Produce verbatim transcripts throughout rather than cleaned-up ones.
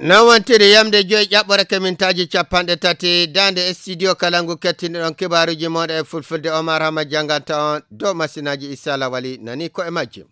Noon wontiri yamde joyi ƴaɓɓore kemintaaji capanɗe tati, daande studio kala ngu kettiniɗon kibaaruuji mooɗon e fulfulde. Omar Hama jannganta on dow masinaaji Issa Lawali nani ko e majji.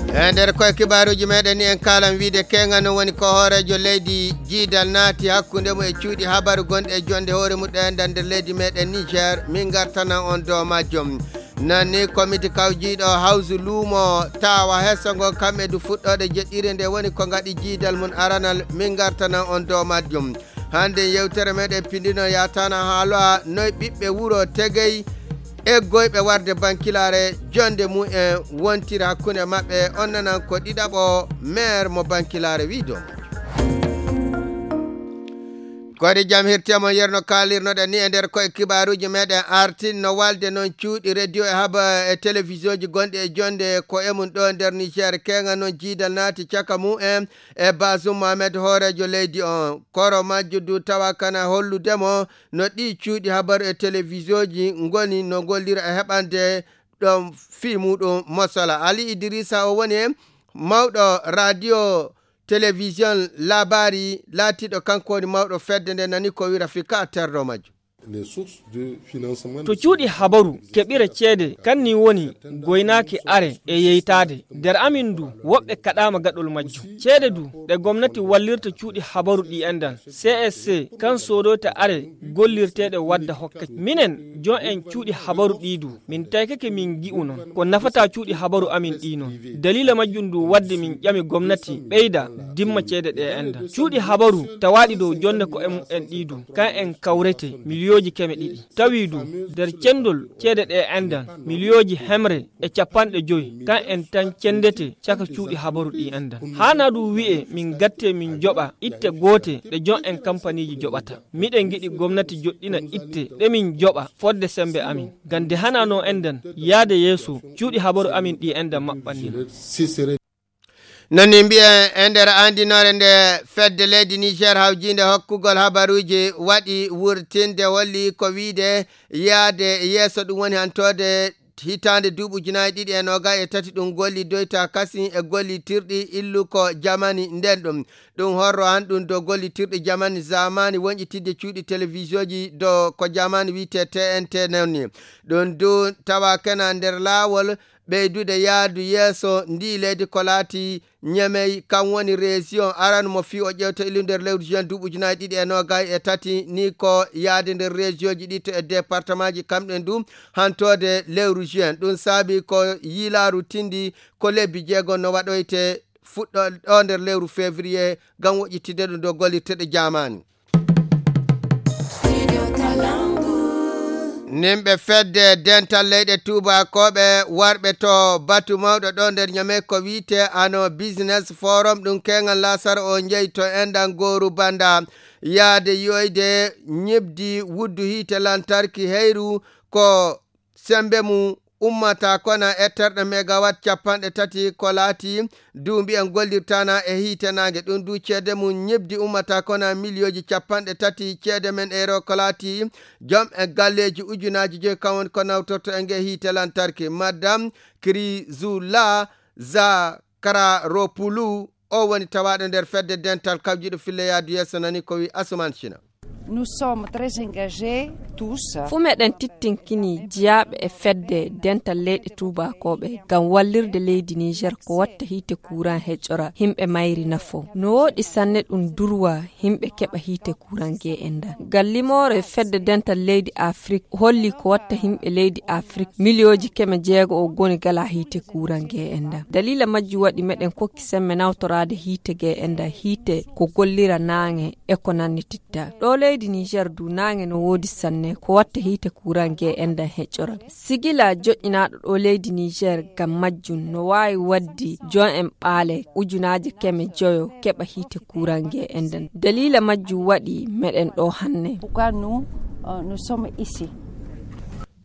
E nder koye kibaaruuji meɗen ni en kaalan wiide keenga no woni ko hooreejo leydi jiidal naati hakkunde mum e cuuɗi habaru gonɗi e jonde hoore muɗɗen nder leydi meɗen Niger, min ngartanan on dow majjum. Nani komiti kawjiiɗo hawsu luumo tawa heso ngo kamɓe du fuɗɗoode jeɗɗire nde woni ko ngaɗi jiidal mum aranal, min ngartanan on dow majjum. Hannde yewtere meɗen pindino yatana haaloa noy ɓiɓɓe wuro Tegey eggoyɓe warde bankilaare jonde mum en wontira hakkunde maɓɓe. On nanan ko ɗiɗaɓo maire mo bankilaare wi dow majjum. Kodi jam hirtiyama yerno kaalirnoɗen ni e nder koye kibaaruuji meɗen artin no walde noon cuuɗi radio e haba e télévision ji gonɗi e jonde ko e mum ɗo nder Niger. Keenga noon jiidal naati caka mum en e Bazoum Mohamed hooreejo leydi on. Koro majjo du tawa kana hollude mo no ɗi cuuɗi habaru e télévision ji ngoni no ngollira e heɓande ɗon fii muɗum mosala. Ali Idrissa o woni mawɗo radio télévision labari laatiɗo kanko woni mawɗo fedde nde nani ko wira fika terɗo majjo. To cuuɗi habaru keɓira ceede kanni woni goynaaki are e yeytaade nder amin ndu woɓɓe kaɗaama gaɗol majjum. Ceede du ɗe gomnati wallirta cuuɗi habaru ɗi endan C S C kan soodoyta are gollirteeɗe wadda hokkaki minen jon en cuuɗi habaru ɗi du. Min taykake min gi'u non ko nafata cuuɗi habaru amin ɗi non. Dalila majjum du wadde min ƴami gomnati ɓeyda dimma ceede ɗe endan cuuɗi habaru tawaaɗi dow jonde ko e mumen ɗi du kan en kawrete miliyooji keme ɗiɗi. Tawi du nder cendol ceede ɗe endan miliyooji hemre e capanɗe joyi kan en tan cendete caka cuuɗi habaru ɗi endan. Haana du wi'e min gatte min joɓa itte goote ɗe jon en kampaniiji joɓata. Miɗen ngiɗi gomnati joɗɗina itte ɗe min joɓa fodde sembe amin. Ngam nde hanano endan yaade yeeso cuuɗi habaru amin ɗi endan maɓɓannira. Noni mbiyen e nder andinoore nde fedde leydi Niger hawjiinde hokkugol habaruuji waɗi wurtinde holli ko wiide yaade yeeso ɗum woni hantoode hitaande duuɓi ujunaaji ɗiɗi e noogay e tati ɗum golli doyta kasi e gollitirɗi illu ko jamani nden ɗum. Ɗum horro han ɗum dow gollitirɗi jamani zamani wonƴitidde cuuɗi télévision ji dow ko jamani wiyte T N T nonni. Ɗum du tawa kena nder laawol ɓeydude yaadu yeeso ndi leydi ko laati Ñemey kan woni région aranu mo fii o ƴewta ilu nder lewru juin duuɓi ujunaaji ɗiɗi e noogay e tati ni ko yaade nder région ji ɗi to e département ji kamɗen du hantoode lewru juin. Ɗum saabi ko yiilaaru tindi ko lebbi jeego no waɗoyte fuɗɗo ɗo nder lewru février ngam woƴƴitidde ɗum dow gollirteɗe jamani. Nimɓe fedde dental leyɗe tuubakooɓe warɓe to batu mawɗo ɗo nder ñame ko wiyte ano business forum ɗum keŋal lasara o njeyi to enɗan gooru banda yaade yoyde ñibdi wuddu hiite lantarki heyru ko sembe mum ummata kona etterɗe megawatt capanɗe tati ko laati du mbiyen gollirtana e hiite naange ɗum du ceede mum ñibdi ummata kona miliyooji capanɗe tati ceede men euro ko laati jom e galleeji ujunaaji joyi kam woni ko nawtorto e nge hiite lantarki madame Krizula Zakararopulu o woni tawaaɗo nder fedde dental kawjiɗo fille yaadu yeeso nani ko wi Asuman Cina. Nous sommes très engagés tous. Fuu meɗen tittinkini jiyaaɓe e fedde dental leyɗe tuubakooɓe ngam wallirde leydi Niger ko watta hiite kuuran heƴora yimɓe mayri nafo. No wooɗi sanne ɗum durwa yimɓe keɓa hiite kuuran ge enɗan. Ngam limoore fedde dental leydi Afrik holli ko watta yimɓe leydi Afrik miliyooji keme jeego o goni gala hiite kuuran ge enɗan. Daliila majji waɗi meɗen kokki semme nawtoraade hiite ge enɗan hiite ko gollira naange e ko nanniti. Ɗo leydi Niger du naange no woodi sanne ko watta hiite kuuran ge enɗan heƴƴoran. Sigila joƴƴinaaɗo ɗo leydi Niger ngam majjum no waawi waddi jon en ɓaale ujunaaje keme joyo keɓa hiite kuuran ge enɗan. Daliila majjum waɗi meɗen ɗo hanne. Pourquoi nous, euh, nous sommes ici?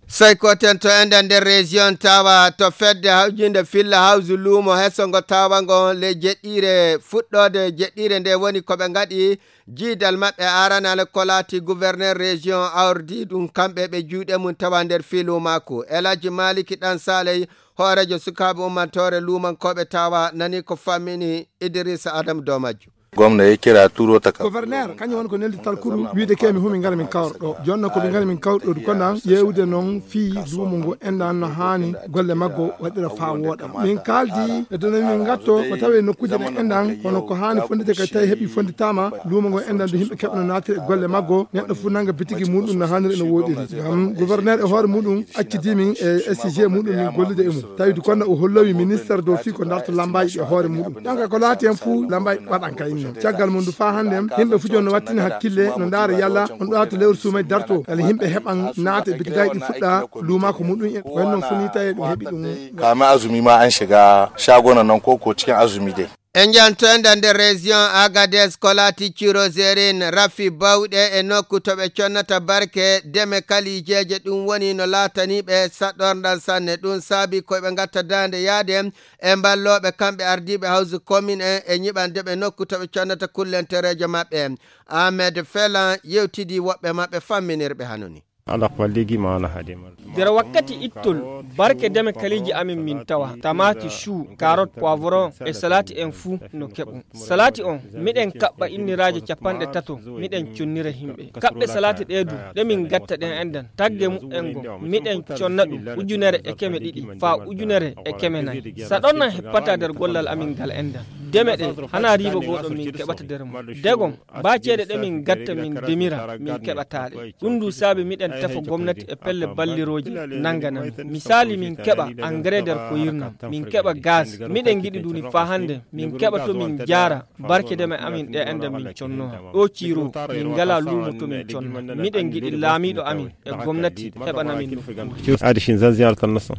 Sey ko ten to enden nder région tawa to fedde hawjinde filla hawju luumo heso ngo tawa ngo le jeɗɗire fuɗɗode jeɗɗire nde woni ko ɓe ngaɗi jiidal maɓɓe aranal ko laati gouverneur région awrdi ɗum kamɓe ɓe juuɗe mum tawa nder filu makko. Elaji Maliki ɗan Saley hoorejo sukaaɓe ummantoore luumankoɓe tawa nani ko fammini Idrissa Adam Domajjo. Gomna yeccira turo taka. Gouverneur, kañum woni ko neldi talkuru, wiyde ke mi humi ngara min kawra ɗo. Jooni noon ko min ngara min kawra ɗo, ko nan ƴeewde noon fii luumo ngo enɗan no haani golle maggo waɗira faa wooɗa. Min kaaldi e dona min ngatto ko tawi e nokkuuje ɗe enɗan, kono ko haani fondite kadi tawi heɓi fonditaama, luumo ngo enɗan do yimɓe keɓa no naatira e golle maggo, neɗɗo fof nanga bitigi muɗum no haaniri no wooɗiri. Ngam gouverneur e hoore muɗum accidi min e S G muɗum min gollude e mum. Tawi du kono o hollowi ministre dow fii ko darto lambaaji ɗi e hoore muɗum. Donc ko laati hen fof lambaaji waɗan kay noon. Caggal mum du faa hannde yimɓe fof jooni no wattini hakkille, no ndaara yalla on ɗo to lewru suumay darto. Kala yimɓe heɓan naata e bitigaaji ɗi fuɗɗa luumaako muɗum en. Wonno fof ni tawi ɗum heɓi ɗum. Kama azumi ma an shiga shaguna nan koko cikin azumi dai. E njantoyda nder région Agadez, ko laati Ciro Zerin rafi bawɗe e nokku to ɓe connata barke deme kalijeeje. Ɗum woni no laatani ɓe saɗorndal sanne. Ɗum saabi ko ɓe ngatta daande yaade e mballooɓe kamɓe ardiiɓe hawsu commune en e ñiɓande ɓe nokku to ɓe connata kullentereejo maɓɓe. Ahmed Felan yewtidi woɓɓe maɓɓe famminirɓe hanoni. Ala ko ligi ma na hade mal. Nder wakkati ittol, barke deme kaliiji amin min tawa, tamaati, chou, carotte, poivron e salati en fuu no keɓu. Salati on, miɗen kaɓɓa inniraaje capanɗe tato, miɗen connira yimɓe. Kaɓɓe salati ɗee du, ɗe min gatta ɗen enɗan, tagge mu'en ngo, miɗen conna ɗum ujunere e keme ɗiɗi faa ujunere e keme nayi. Saɗornan heppata nder gollal amin ngal enɗan. Deme ɗe, hana riiba gooɗo min keɓata nder mum. Degon, baa ceede ɗe min gatta min demira, min keɓataa ɗe. Ɗum du saabi miɗen tefa gomnati e pelle ballirooje nannganan. Misaali, min keɓa engrais nder ko yirnam, min keɓa gaz. Miɗen ngiɗi duni faa hannde, min keɓa to min jaara, barke deme amin ɗe enɗan min connoha. Ɗo Ciro, min ngalaa luumo to min conna. Miɗen ngiɗi laamiiɗo amin e gomnati heɓana min ɗum. Adi shin zan ziyartar nasa.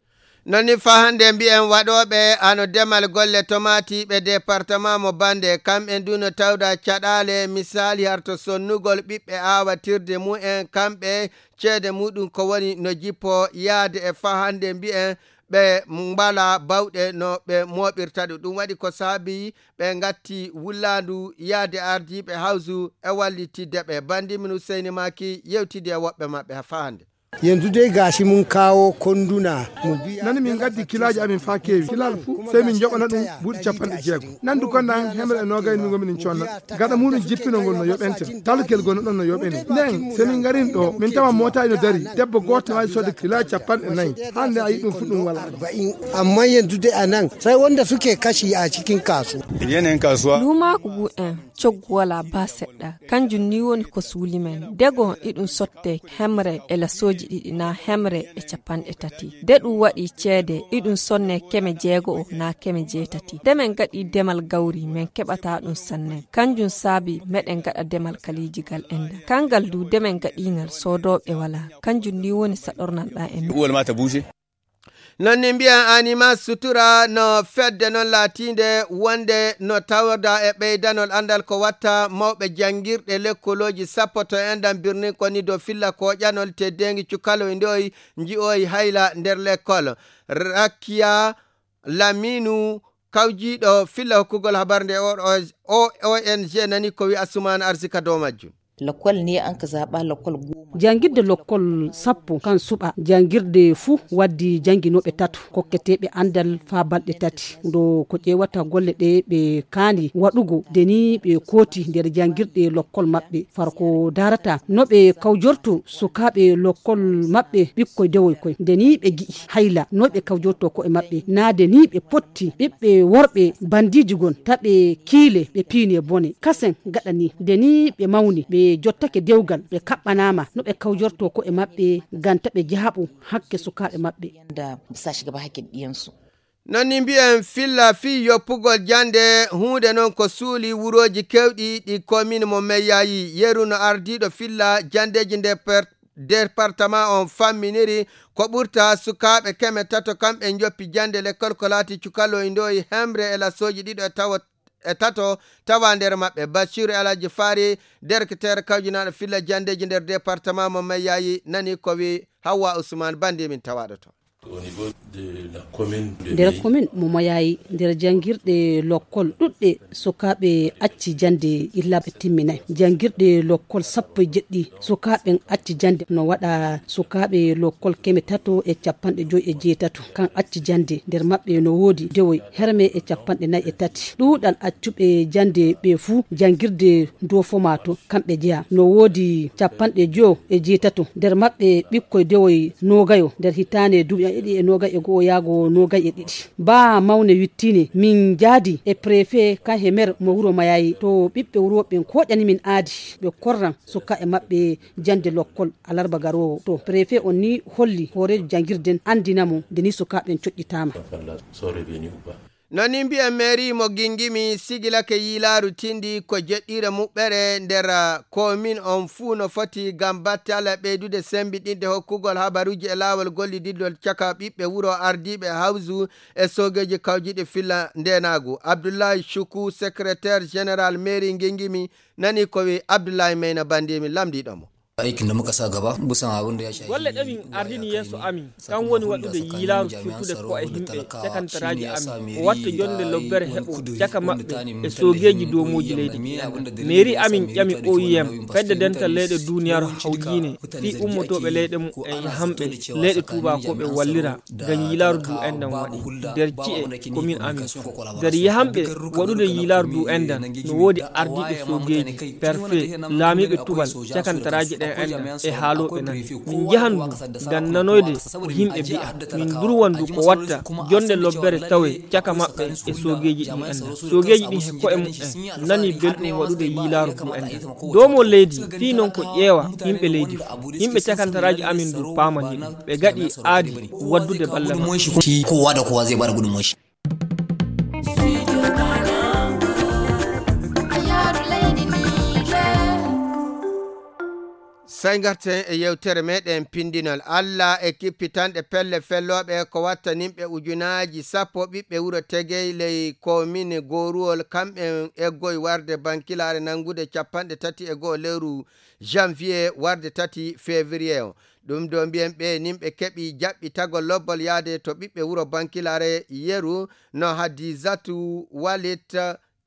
Non ni faa hannde mbiyen waɗooɓe hano demal golle tomatiiɓe département mo Bande, kamɓe du no tawda caɗaale, misaali harto sonnugol ɓiɓɓe aawatirde mumen, kamɓe ceede muɗum ko woni no jippo yaade e faa hannde mbiyen ɓe mbala bawɗe no ɓe mooɓirta ɗum. Ɗum waɗi ko saabi ɓe ngatti wullaandu yaade ardiiɓe hawsu e wallitidde ɓe. Banndi min Huseyni Maki yewtidi e woɓɓe maɓɓe faa hannde. Yanzu dai gashi mun kawo konduna mu biya. Nani min gaddi kilaaji amin faa keewi. Kilaal fuu, sey min njoɓana ɗum buuɗi capanɗe jeego. Nandu kon nan hemre e noogay min ngomin en conna. Gaɗa muɗum jippino ngol no yoɓente. Talkel gono ɗon no yoɓeni. Nden, sey min ngarin ɗo, min tawa mootaaji no dari. Debbo gooto no waawi soodde kilaaji capanɗe nayi. Hannde a yi ɗum fuu ɗum walaa. Arba'in. Amma yanzu dai a nan, sai wanda suke kashi a cikin kasuwa. Yanayin kasuwa. Luumaaku ngu en. Coggu walaa baa seɗɗa. Kanjum ni woni ko suuli men. Dego iɗum sotte hemre e lasooji ɗiɗi naa hemre e capanɗe tati. De ɗum waɗi ceede iɗum sonne keme jeego o naa keme jeetati. De men gaɗi demal gawri men keɓata ɗum sanne. Kanjum saabi meɗen gaɗa demal kalijigal enɗan. Kangal du de men gaɗingal soodooɓe walaa. Kanjum ni woni saɗornal ɗa en. Uwal ma ta bushe. Non ni mbiyan Anima Sutura no fedde non laatiinde wonde no tawda e ɓeydanol anndal ko watta mawɓe janngirɗe lekkolooji sappo to enɗan birnin ko ni dow filla koƴanol teddeengi cukaloy ndoy nji'oy hayla nder lekkol. Rakiya Laminu kawjiiɗo filla hokkugol habar nde o O N G nani ko wi Asumaan Arsika dow majjum. Lakwal ne an ka zaɓa lakwal goma. Jangirde lokkol sappo kan suɓa. Jangirde fuu waddi janginooɓe tato kokketeeɓe andal faa balɗe tati. Ndo ko ƴeewata golle ɗe ɓe kaani waɗugo, de ni ɓe kooti nder jangirɗe lokkol maɓɓe. Far ko daarata no ɓe kawjorto sukaaɓe lokkol maɓɓe ɓikkoy dewoy koy. De ni ɓe gi'i hayla no ɓe kawjorto ko'e maɓɓe. Naa de ni ɓe potti ɓiɓɓe worɓe bandiiji gon, ta ɓe kiile ɓe piine bone. Kasen gaɗa ni, de ni ɓe mawni, ɓe jottake dewgal, ɓe kaɓɓanaama no ɓe kawjorto ko'e maɓɓe, ganta ɓe jaaɓu hakke sukaaɓe maɓɓe. Yanda ba sa shiga ba hakkin ɗiyansu. Non ni mbiyen filla fii yoppugol jannde, huunde non ko suuli wurooji keewɗi ɗi komin mo Meyyayi. Yeru no ardiiɗo filla janndeeji nder per-, département on famminiri ko ɓurta sukaaɓe keme tato kamɓe njoppi jannde lekkol ko laati cukaloy ndoyi hemre e lasooji ɗiɗo e tawo, e tato tawa nder maɓɓe. Basiru Alhaji Faari, directeur kawjinaaɗo filla janndeeji nder département mo Meyyayi, nani ko wi Hawwa Usman, bandi min tawaaɗo to. Nder komin mo mayayi, nder janngirɗe lokkol ɗuɗɗe, sukaaɓe acci jannde illa ɓe timminay. Janngirɗe lokkol sappo e jeɗɗi, sukaaɓen acci jannde no waɗa sukaaɓe lokkol keme tato e capanɗe joyi e jeetato. Kan acci jannde, nder maɓɓe no woodi dewoy herme e capanɗe nayi e tati. Ɗuuɗal accuɓe jannde ɓe fuu, janngirde dow fomato kamɓe jeya. No woodi capanɗe joyo e jeetato, nder maɓɓe ɓikkoy dewoy noogayo nder hitaande duuɓi ɗiɗi e noogay e go'o yaago noogay e ɗiɗi. Baa mawne wittine, min njaadi e prefe kan he mer mo wuro Mayayi, to ɓiɓɓe wuro ɓen kooƴani min aadi, ɓe korran sukaaɓe maɓɓe jannde lokkol alarba garoowo. To prefe on ni holli hooreejo janngirden anndina mo nde ni sukaaɓe ɓen coƴƴitaama. Non ni mbiyen mairie mo Gingimi sigilake yiilaaru tindi ko jeɗɗiire muɓɓere nder, ah, komin on fuu no foti ngam batte Allah ɓeydude sembiɗinde hokkugol habaruuji e laawol gollididol caka ɓiɓɓe wuro ardiiɓe hawsu e soogeeji kawjiiɗi filla ndeenaagu. Abdullahi Shuku, secrétaire général mairie Gingimi, nani ko wi Abdullahi Meyna Bandimi lamndiiɗo mo. Aikin da muka sa gaba, busan abin da ya shafi golle ɗe min ardini yeeso amin, kan woni waɗude yiilaaru firtude ko e himɓe cakantaraaji amin, o watta jonde lobbere heɓo caka maɓɓe e soogeeji dow mooji leydi. Mairie amin ƴami O I M, fedde dental leyɗe duniyaaru hawjiine, fii ummotooɓe leyɗe mum en e hamɓe leyɗe tuubakooɓe wallira. Ngam yiilaaru du enɗan waɗi nder ci'e komin amin fuu. Nder yahanɓe waɗude yiilaaru du enɗan, no woodi ardiiɓe soogeeji, perfe, laamiiɓe tubal, cakantaraaji ɗen enɗan e haalooɓe nan. Min njahan du ngam nanoyde ko yimɓe mbi'a. Min durwan du ko watta jonde lobbere tawe caka maɓɓe e soogeeji ɗin enɗan. Soogeeji ɗin he ko'e mum en nani belɗum waɗude yiilaaru du enɗan. Doomo leydi fii non ko ƴeewa yimɓe leydi fuu. Yimɓe cakantaraaji amin du paamani ɗum. Ɓe gaɗi aadi waddude balla maɓɓe. Kowa da kowa zai bada gudunmuwar shi. Sey ngarten e yewtere meɗen pindinol. Allah e kippitanɗe pelle fellooɓe ko wattaninɓe ujunaaji sappo ɓiɓɓe wuro Tegey ley komin Gooruwol, kamɓen eggoy warde bankilaare nanngude capanɗe tati e go'o lewru janvier warde tati février o. Ɗum ɗo mbiyen ɓe nin ɓe keɓi jaɓɓitagol lobbol yaade to ɓiɓɓe wuro bankilaare yeru no Hadizatu Walit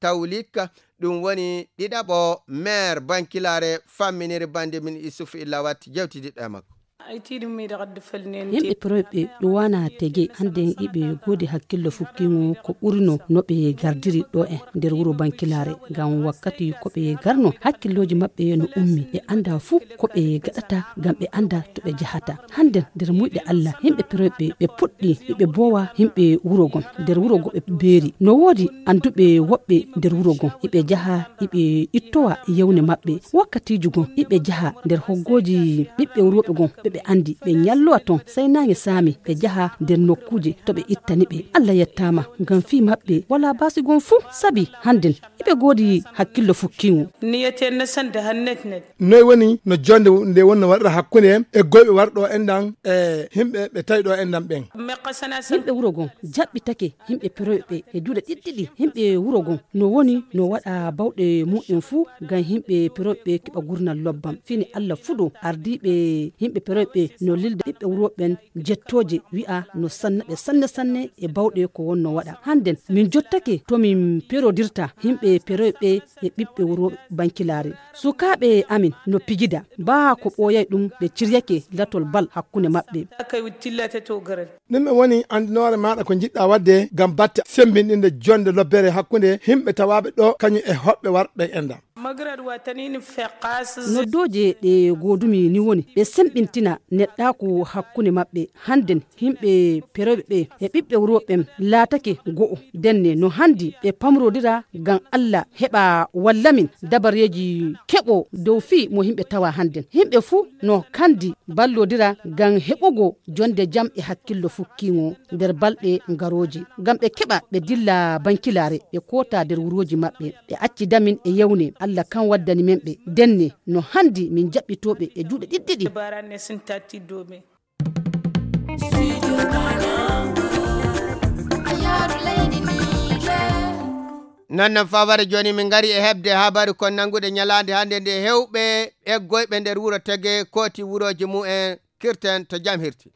Tawlik, ɗum woni ɗiɗaɓo maire bankilaare famminiri bande min Isuf Illawat jewtidiɗɗo e makko. Yimɓe proyɓe ɗuwana tege anden iɓe godi hakkillo fukkingo ko ɓurino no ɓe gardiri ɗo en nder wuro bankilaare, ngam wakkati ko ɓe garno hakkilloji maɓɓe no ummi, ɓe anda fuu ko ɓe gaɗata ngam ɓe anda to ɓe jahata. Hande nder muyɗe Allah yimɓe proyɓe ɓe puɗɗi iɓe bowa yimɓe wuro gon. Nder wuro go ɓe beeri no woodi anduɓe woɓɓe nder wuro gon, iɓe jaha iɓe ittowa yewne maɓɓe. Wakkatiiju gon iɓe jaha nder hoggoji ɓiɓɓe wuro ɓe gon ɓe ɓe andi, ɓe nyallowa ton sai nange saami ɓe jaha nder nokkuuje to ɓe ittani ɓe. Allah yettama ngam fii maɓɓe wala basi gon fuu sabi handen iɓe godi hakkillo fukkingo. Niyeten na sanda hannet net. Noy woni no jonde nde wonno waɗata hakkunde e goyɓe warɗo enɗan e himɓe ɓe tawi ɗo enɗan ɓen? Yimɓe wuro gon jaɓɓitake yimɓe peroyɓe e juuɗe ɗiɗɗiɗi. Yimɓe wuro gon no woni no waɗa bawɗe mumen fuu ngam yimɓe peroyɓe keɓa gurnal lobbam. Fini Allah fuɗo ardiiɓe yimɓe peroyɓe no lilda ɓiɓɓe wuro ɓen jettooje wi'a no sanna ɓe sanne sanne e bawɗe ko wonno waɗa. Handen min jottake to min perodirta yimɓe peroyɓe e ɓiɓɓe wuro bankilaare. Sukaaɓe amin no pijida baa ko ɓooyay ɗum ɓe ciryake latol bal hakkunde maɓɓe. Ɗum e woni anndinoore maaɗa ko njiɗɗa waɗde ngam batte semmbinɗinde jonnde lobbere hakkunde yimɓe tawaaɓe ɗo kañum e hoɓɓe warɓe enɗan. Noddooje ɗe goodumi ni woni ɓe semmbintina neɗɗaaku hakkunde maɓɓe. Hannden yimɓe perewɓe ɓe e ɓiɓɓe wuro ɓen laatake go'o. Ndenne no hanndi ɓe pamrodira ngam Allah heɓa walla min dabareeji keɓo dow fii mo yimɓe tawa hannden. Yimɓe fuu no kandi ballodira ngam heɓugo jonnde jam e hakkillo fukkiingo nder balɗe ngarooje. Ngam ɓe keɓa ɓe dilla bankilaare, ɓe koota nder wurooji maɓɓe, ɓe acci damin e yewne. Allah kan waddani men ɓe. Ndenne no hanndi min jaɓɓitooɓe e juuɗe ɗiɗɗiɗi. Non non faware jooni min ngari e heɓde habaru kon nannguɗe ñalaande hannde nde hewɓe eggoyɓe nder wuro Tege kooti wurooji mumen. Kirten to jam hirti.